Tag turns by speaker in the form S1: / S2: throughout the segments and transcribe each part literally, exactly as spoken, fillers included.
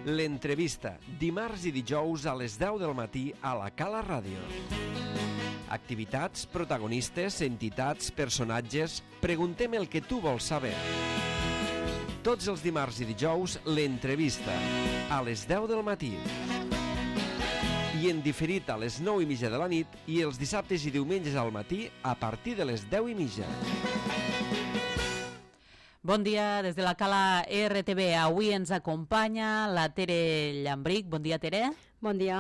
S1: L'entrevista, dimarts i dijous a les deu del matí a la Cala Ràdio. Activitats, protagonistes, entitats, personatges... Preguntem el que tu vols saber. Tots els dimarts i dijous, l'entrevista, a les deu del matí. I en diferit a les nou i mitja de la nit i els dissabtes i diumenges al matí a partir de les deu i mitja.
S2: Bon dia des de la Cala R T V. Avui ens acompanya la Tere Llambric. Bon dia, Tere.
S3: Bon dia.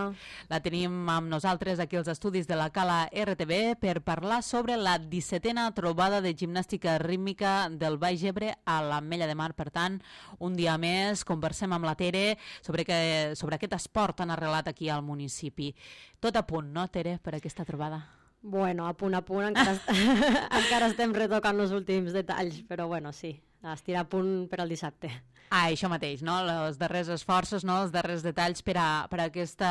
S2: La tenim amb nosaltres aquí als estudis de la Cala R T V per parlar sobre la dissetena trobada de gimnàstica rítmica del Baix Ebre a l'Ametlla de Mar. Per tant, un dia més conversem amb la Tere sobre, que, sobre aquest esport tan arrelat aquí al municipi. Tot a punt, no, Tere, per aquesta trobada?
S3: Bueno, a punt a punt, encara, encara estem retocant els últims detalls, però bueno, sí, estirà a punt per al dissabte.
S2: Ah, això mateix, no? Els darrers esforços, no? Els darrers detalls per a, per a aquesta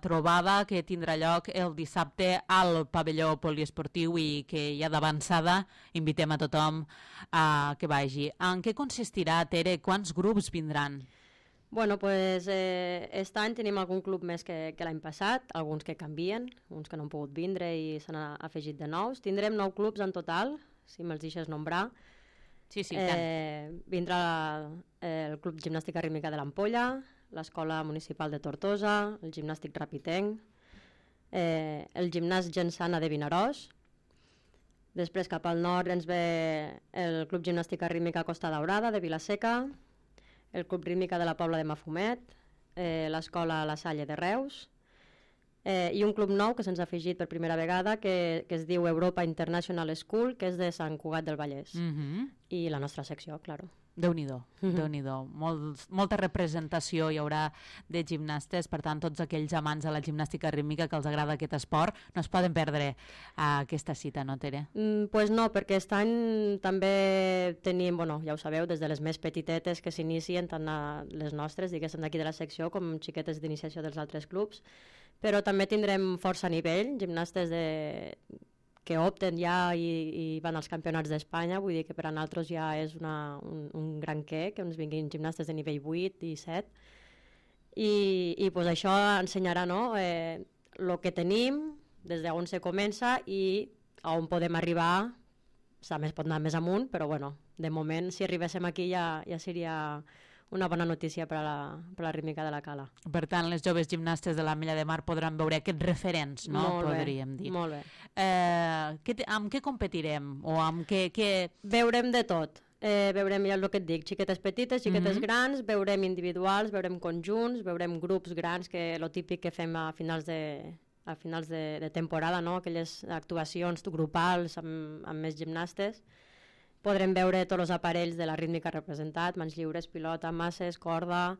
S2: trobada que tindrà lloc el dissabte al pavelló poliesportiu i que ja d'avançada invitem a tothom a que vagi. En què consistirà, Tere? Quants grups vindran?
S3: Bueno, pues eh, aquest any tenim algun club més que, que l'any passat, alguns que canvien, uns que no han pogut vindre i s'han afegit de nous. Tindrem nou clubs en total, si me'ls deixes nombrar.
S2: Sí, sí,
S3: eh, vindrà el Club Gimnàstica Rítmica de l'Ampolla, l'Escola Municipal de Tortosa, el Gimnàstic Rapitenc, eh, el Gimnàs Gensana de Vinaròs. Després cap al nord ens ve el Club Gimnàstica Rítmica Costa Daurada de Vilaseca, el Club Rítmica de la Pobla de Mafumet, eh, l'Escola La Salle de Reus, eh, i un club nou que se'ns ha afegit per primera vegada que, que es diu Europa International School, que és de Sant Cugat del Vallès.
S2: Mm-hmm.
S3: I la nostra secció, claro.
S2: Déu-n'hi-do, mm-hmm. Déu-n'hi-do. Molt, molta representació hi haurà de gimnastes, per tant, tots aquells amants de la gimnàstica rítmica que els agrada aquest esport no es poden perdre a aquesta cita, no, Tere?
S3: Mm, pues no, perquè aquest any també tenim, bueno, ja ho sabeu, des de les més petitetes que s'inicien, tant a les nostres, diguéssim, d'aquí de la secció, com xiquetes d'iniciació dels altres clubs, però també tindrem força nivell, gimnastes de... que opten ja i, i van als campionats d'Espanya, vull dir que per a nosaltres ja és una, un, un gran què, que ens vinguin gimnastes de nivell vuit i set, i, i pues això ensenyarà, no?, eh, el que tenim, des d'on se comença i a on podem arribar. També es pot anar més amunt, però bueno, de moment, si arribéssim aquí ja, ja seria una bona notícia per a la, per a la rítmica de la Cala.
S2: Per tant, les joves gimnastes de l'Ametlla de Mar podran veure aquests referents, no?
S3: Molt bé,
S2: podríem dir.
S3: Molt bé.
S2: Eh, què te, amb què competirem? O amb què, què...
S3: Veurem de tot. Eh, veurem, ja el que et dic, xiquetes petites, xiquetes mm-hmm. grans, veurem individuals, veurem conjunts, veurem grups grans, que lo típic que fem a finals de, a finals de, de temporada, no? Aquelles actuacions grupals amb, amb més gimnastes. Podrem veure tots els aparells de la rítmica representat, mans lliures, pilota, masses, corda,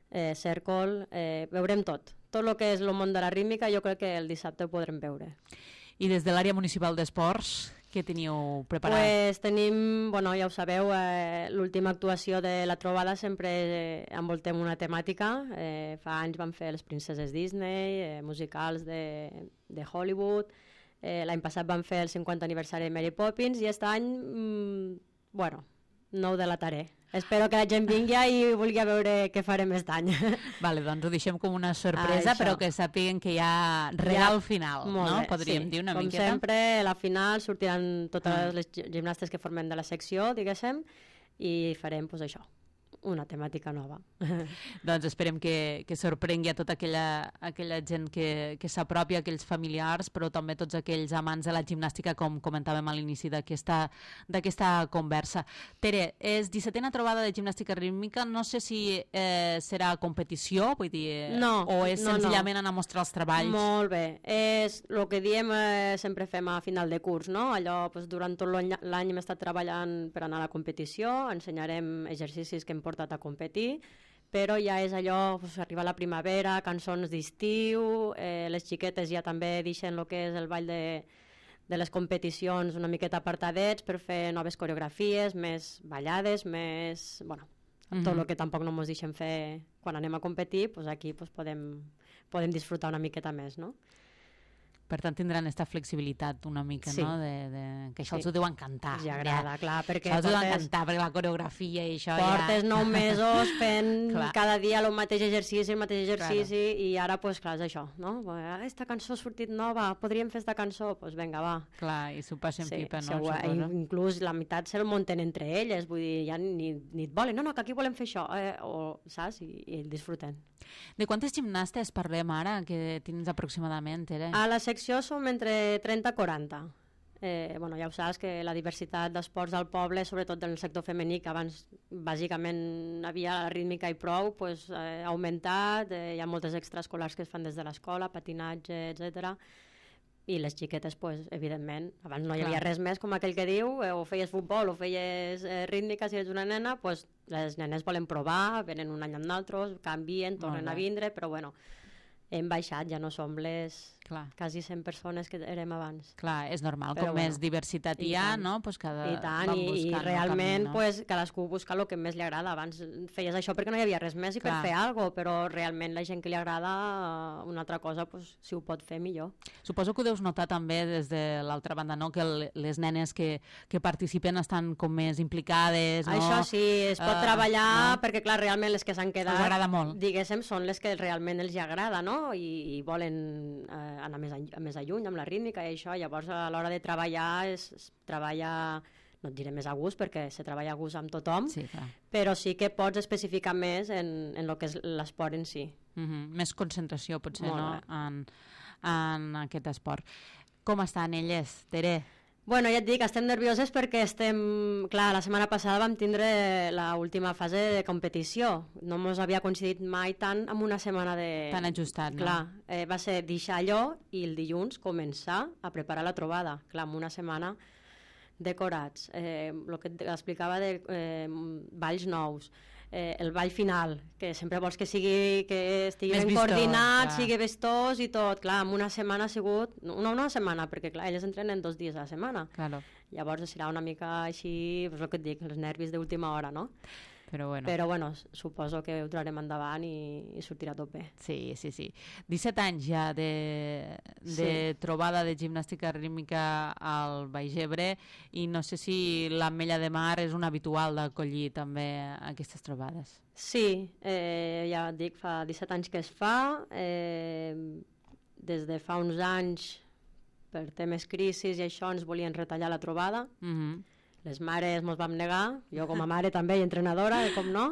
S3: eh, cèrcol, eh, veurem tot. Tot el que és el món de la rítmica jo crec que el dissabte ho podrem veure.
S2: I des de l'àrea municipal d'esports, què teniu preparat?
S3: Pues tenim, bueno, ja ho sabeu, eh, l'última actuació de la trobada sempre eh, envoltem una temàtica. Eh, fa anys vam fer les princeses Disney, eh, musicals de, de Hollywood. Eh, l'any passat vam fer el cinquanta aniversari de Mary Poppins i aquest any, mmm, bueno, no ho delataré. Espero que la gent vingui i vulgui veure què farem aquest any.
S2: Vale, doncs ho deixem com una sorpresa, ah, però que sàpiguen que hi ha regal ja, final, no? Bé, podríem
S3: sí.
S2: dir una
S3: com
S2: miqueta.
S3: Com sempre, a la final sortiran totes ah. les gimnastes que formen de la secció, diguéssim, i farem, pues, això, una temàtica nova.
S2: Doncs esperem que, que sorprengui a tota aquella, aquella gent que, que s'apropi, aquells familiars, però també tots aquells amants de la gimnàstica, com comentàvem a l'inici d'aquesta conversa. Tere, és dissetena trobada de gimnàstica rítmica, no sé si eh, serà competició, vull dir,
S3: no,
S2: o és
S3: no,
S2: senzillament
S3: no.
S2: anar a mostrar els treballs?
S3: Molt bé, és el que diem, eh, sempre fem a final de curs, no? Allò, pues, durant tot l'any hem estat treballant per anar a la competició, ensenyarem exercicis que hem portat a competir, però ja és allò, pues, arriba la primavera, cançons d'estiu, eh, les xiquetes ja també deixen el que és el ball de, de les competicions una miqueta apartadets per fer noves coreografies, més ballades, més... bueno, mm-hmm. tot el que tampoc no ens deixen fer quan anem a competir, pues aquí pues, podem, podem disfrutar una miqueta més, no?
S2: Per tant, tindran aquesta flexibilitat una mica,
S3: sí.
S2: no? De, de... Que això
S3: sí.
S2: els ho deu encantar.
S3: Els agrada, ja. clar, perquè
S2: això els
S3: portes...
S2: deu encantar, perquè la coreografia i això
S3: portes
S2: ja...
S3: nou mesos fent cada dia el mateix exercici, el mateix exercici, claro. i ara, pues, clar, és això, no? Aquesta cançó ha sortit nova, podríem fer esta cançó? Doncs pues vinga, va.
S2: Clar, i s'ho passen sí, pipa, no?
S3: Segur, inclús la meitat se'l munten entre elles, vull dir, ja ni, ni et volen, no, no, que aquí volem fer això, eh? o, saps? I, i el disfruten.
S2: De quantes gimnastes parlem ara, que tens aproximadament, Tere?
S3: A la secció som entre trenta i quaranta. Eh, bueno, ja ho saps que la diversitat d'esports al poble, sobretot en el sector femení, que abans bàsicament havia la rítmica i prou, pues, eh, ha augmentat, eh, hi ha moltes extraescolars que es fan des de l'escola, patinatge, etcètera. I les xiquetes, pues, evidentment, abans no hi havia Clar. res més, com aquell que diu, eh, o feies futbol o feies eh, rítmica si ets una nena, pues, les nenes volen provar, venen un any amb nosaltres, canvien, tornen a vindre, però bueno, hem baixat, ja no som les Clar. quasi cent persones que érem abans.
S2: Clar, és normal, però com bueno, més diversitat hi ha, no? Pues cada...
S3: I tant, i, i realment camí, no? pues, cadascú busca el que més li agrada. Abans feies això perquè no hi havia res més i Clar. per fer alguna cosa, però realment la gent que li agrada una altra cosa, pues, si ho pot fer, millor.
S2: Suposo que ho deus notar també des de l'altra banda, no? Que el, les nenes que, que participen estan com més implicades, no?
S3: Això sí, es pot uh, treballar, no? perquè clar, realment les que s'han quedat,
S2: els agrada molt.
S3: Diguéssim, són les que realment els agrada, no? I, i volen eh, anar més, a, més a lluny amb la rítmica i això, llavors a l'hora de treballar es, es treballa, no et diré més a gust perquè se treballa a gust amb tothom,
S2: sí,
S3: però sí que pots especificar més en, en el que és l'esport en si.
S2: Mm-hmm. Més concentració potser, Molt no? En, en aquest esport. Com estan elles, Tere?
S3: Bueno, ja et dic, estem nervioses perquè estem... Clar, la setmana passada vam tindre l'última fase de competició. No mos havia coincidit mai tant amb una setmana de...
S2: Tan ajustat, no?
S3: Clar, eh, va ser deixar allò i el dilluns començar a preparar la trobada. Clar, amb una setmana decorats. Eh, el que explicava de eh, balls nous. Eh, el ball final, que sempre vols que sigui que estigui ben coordinat, sigui vistós i tot. Clar, en una setmana ha sigut... No una setmana, perquè clar, elles entrenen dos dies a la setmana.
S2: Claro.
S3: Llavors serà una mica així, pues el que et dic, els nervis d'última hora, no?
S2: Però bueno.
S3: Però bueno, suposo que ho trarem endavant i, i sortirà tot bé.
S2: Sí, sí, sí. disset anys ja de, de sí. trobada de gimnàstica rítmica al Baix Ebre i no sé si l'Ametlla de Mar és un habitual d'acollir també aquestes trobades.
S3: Sí, eh, ja et dic, fa disset anys que es fa. Eh, des de fa uns anys, per temes crisis i això, ens volien retallar la trobada.
S2: Mhm.
S3: Les mares mos vam negar, jo com a mare també i entrenadora, i com no,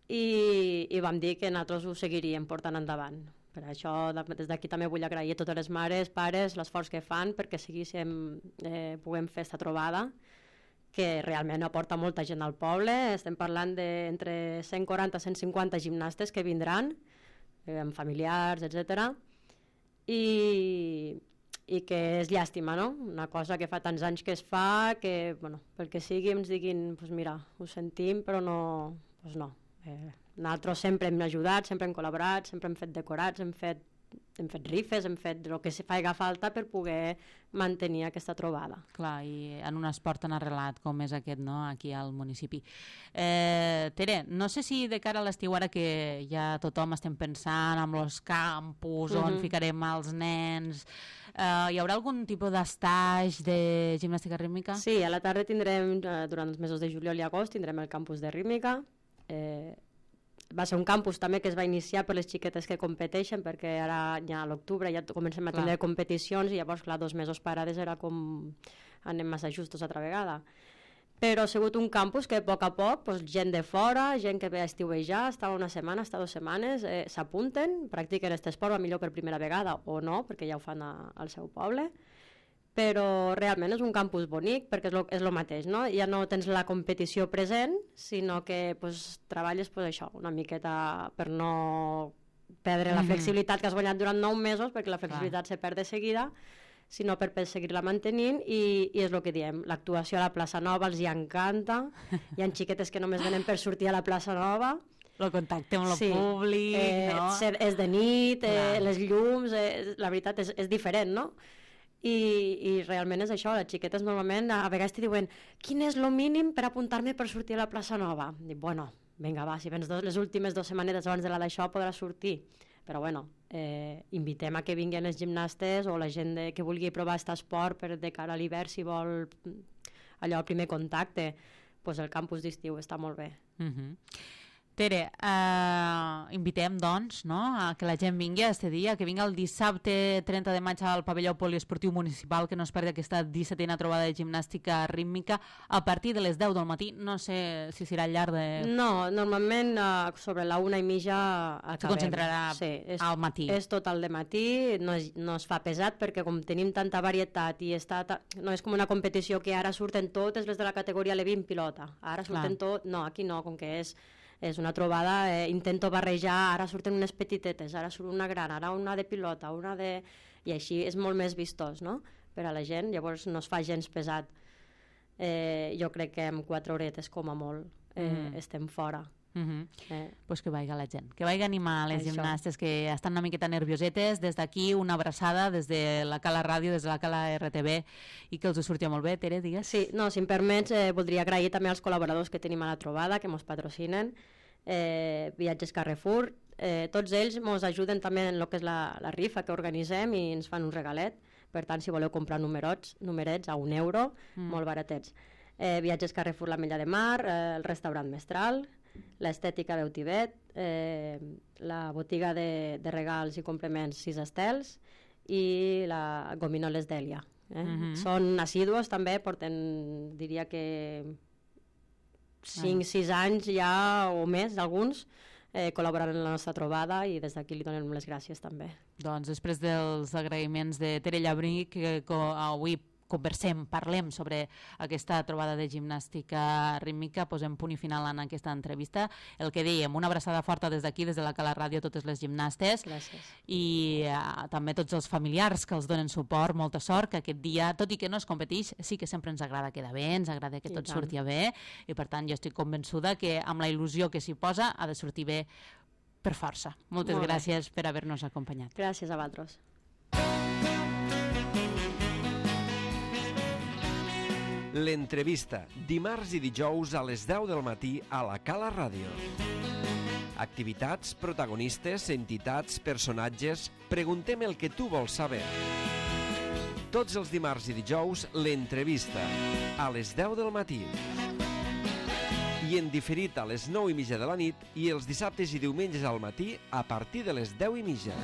S3: i, i vam dir que nosaltres ho seguiríem portant endavant. Per això des d'aquí també vull agrair a totes les mares, pares, l'esforç que fan perquè seguíssim, eh, puguem fer aquesta trobada, que realment aporta molta gent al poble. Estem parlant d'entre cent quaranta i cent cinquanta gimnastes que vindran, eh, amb familiars, etcètera. I... i que és llàstima, no? Una cosa que fa tants anys que es fa, que, bueno, pel que sigui ens diguin, pues mira, ho sentim, però no, pues no. Eh, nosaltres sempre hem ajudat, sempre hem col·laborat, sempre hem fet decorats, hem fet, hem fet rifes, hem fet el que se faci falta per poder mantenir aquesta trobada.
S2: Clar, i en un esport tan arrelat com és aquest, no?, aquí al municipi. Eh, Tere, no sé si de cara a l'estiu, ara que ja tothom estem pensant en els campus, uh-huh. on ficarem els nens, eh, hi haurà algun tipus d'estaix de gimnàstica rítmica?
S3: Sí, a la tarda tindrem, eh, durant els mesos de juliol i agost, tindrem el campus de rítmica. Eh, va ser un campus també que es va iniciar per les xiquetes que competeixen, perquè ara ja a l'octubre ja comencem a tindre clar. competicions i llavors, clar, dos mesos parades era com anem massa justos altra vegada. Però ha sigut un campus que a poc a poc pues, gent de fora, gent que ve a estiuejar, està una setmana, està dues setmanes, eh, s'apunten, practiquen aquest esport, millor per primera vegada o no, perquè ja ho fan a, al seu poble, però realment és un campus bonic perquè és lo, és lo mateix, no? Ja no tens la competició present, sinó que pues, treballes pues, això, una miqueta per no perdre la flexibilitat que has guanyat durant nou mesos, perquè la flexibilitat Clar. se perd de seguida, sinó per, per seguir-la mantenint, i, i és el que diem, l'actuació a la plaça Nova els hi encanta, hi ha xiquetes que només venen per sortir a la plaça Nova,
S2: el contacte amb el
S3: sí.
S2: públic,
S3: eh,
S2: no?
S3: És, és de nit, eh, les llums, eh, la veritat és, és diferent, no? I, i realment és això, les xiquetes normalment a vegades t'hi diuen quin és el mínim per apuntar-me per sortir a la plaça Nova? Dic, bueno, vinga va, si vens dos, les últimes dues setmanetes abans de la d'això podràs sortir, Però bueno, eh, invitem a que vinguin els gimnastes o la gent de, que vulgui provar aquest esport per de cara a l'hivern, si vol allò, el primer contacte, pues el campus d'estiu està molt bé.
S2: Uh-huh. Tere, eh, invitem doncs, no, a que la gent vingui a este dia, que vingui el dissabte trenta de maig al pavelló poliesportiu municipal, que no es perdi aquesta dissetena trobada de gimnàstica rítmica a partir de les deu del matí. No sé si serà al llarg de...
S3: No, normalment uh, sobre la una i mitja acabem.
S2: Se concentrarà
S3: sí, és,
S2: al matí.
S3: És tot al dematí, no es, no es fa pesat perquè com tenim tanta varietat i està ta... no és com una competició que ara surten totes les de la categoria L vint pilota. Ara surten
S2: Clar.
S3: tot... No, aquí no, com que és... És una trobada, eh, intento barrejar, ara surten unes petitetes, ara surt una gran, ara una de pilota, una de... I així és molt més vistós, no?, per a la gent, llavors no es fa gens pesat. Eh, jo crec que amb quatre horetes, com a molt, eh, mm. estem fora.
S2: Uh-huh.
S3: eh.
S2: Pues que vaiga la gent, que vaiga a animar les
S3: Això.
S2: gimnastes que estan una miqueta nerviosetes. Des d'aquí una abraçada des de la Cala Ràdio, des de la Cala R T V, i que els ho surti molt bé. Tere, digues.
S3: Sí, no, si em permets, eh, voldria agrair també als col·laboradors que tenim a la trobada, que ens patrocinen, eh, Viatges Carrefour, eh, tots ells ens ajuden també en el que és la, la rifa que organitzem i ens fan un regalet. Per tant, si voleu comprar numerots, numerets a un euro, mm. molt baratets. Eh, Viatges Carrefour, l'Ametlla de Mar, eh, el restaurant Mestral, l'Estètica Beutivet, eh, la botiga de, de regals i complements Sis Estels i la Gominoles d'Èlia. Eh? Mm-hmm. Són assidus també, porten, diria que cinc sis anys ja o més, alguns, eh, col·laborant en la nostra trobada, i des d'aquí li donem les gràcies també.
S2: Doncs després dels agraïments de Tere Llabrí, que avui conversem, parlem sobre aquesta trobada de gimnàstica rítmica, posem punt i final en aquesta entrevista. El que dèiem, una abraçada forta des d'aquí, des de la Cala Ràdio, a totes les gimnastes.
S3: Gràcies.
S2: I uh, també tots els familiars que els donen suport, molta sort, que aquest dia, tot i que no es competeix, sí que sempre ens agrada quedar bé, ens agrada que tot surti bé, i per tant jo estic convençuda que amb la il·lusió que s'hi posa ha de sortir bé per força. Moltes
S3: Molt
S2: gràcies bé. per haver-nos acompanyat.
S3: Gràcies a vosaltres.
S1: L'entrevista, dimarts i dijous a les deu del matí a la Cala Ràdio. Activitats, protagonistes, entitats, personatges... Preguntem el que tu vols saber. Tots els dimarts i dijous, l'entrevista, a les deu del matí. I en diferit a les nou i mitja de la nit i els dissabtes i diumenges al matí a partir de les deu i mitja.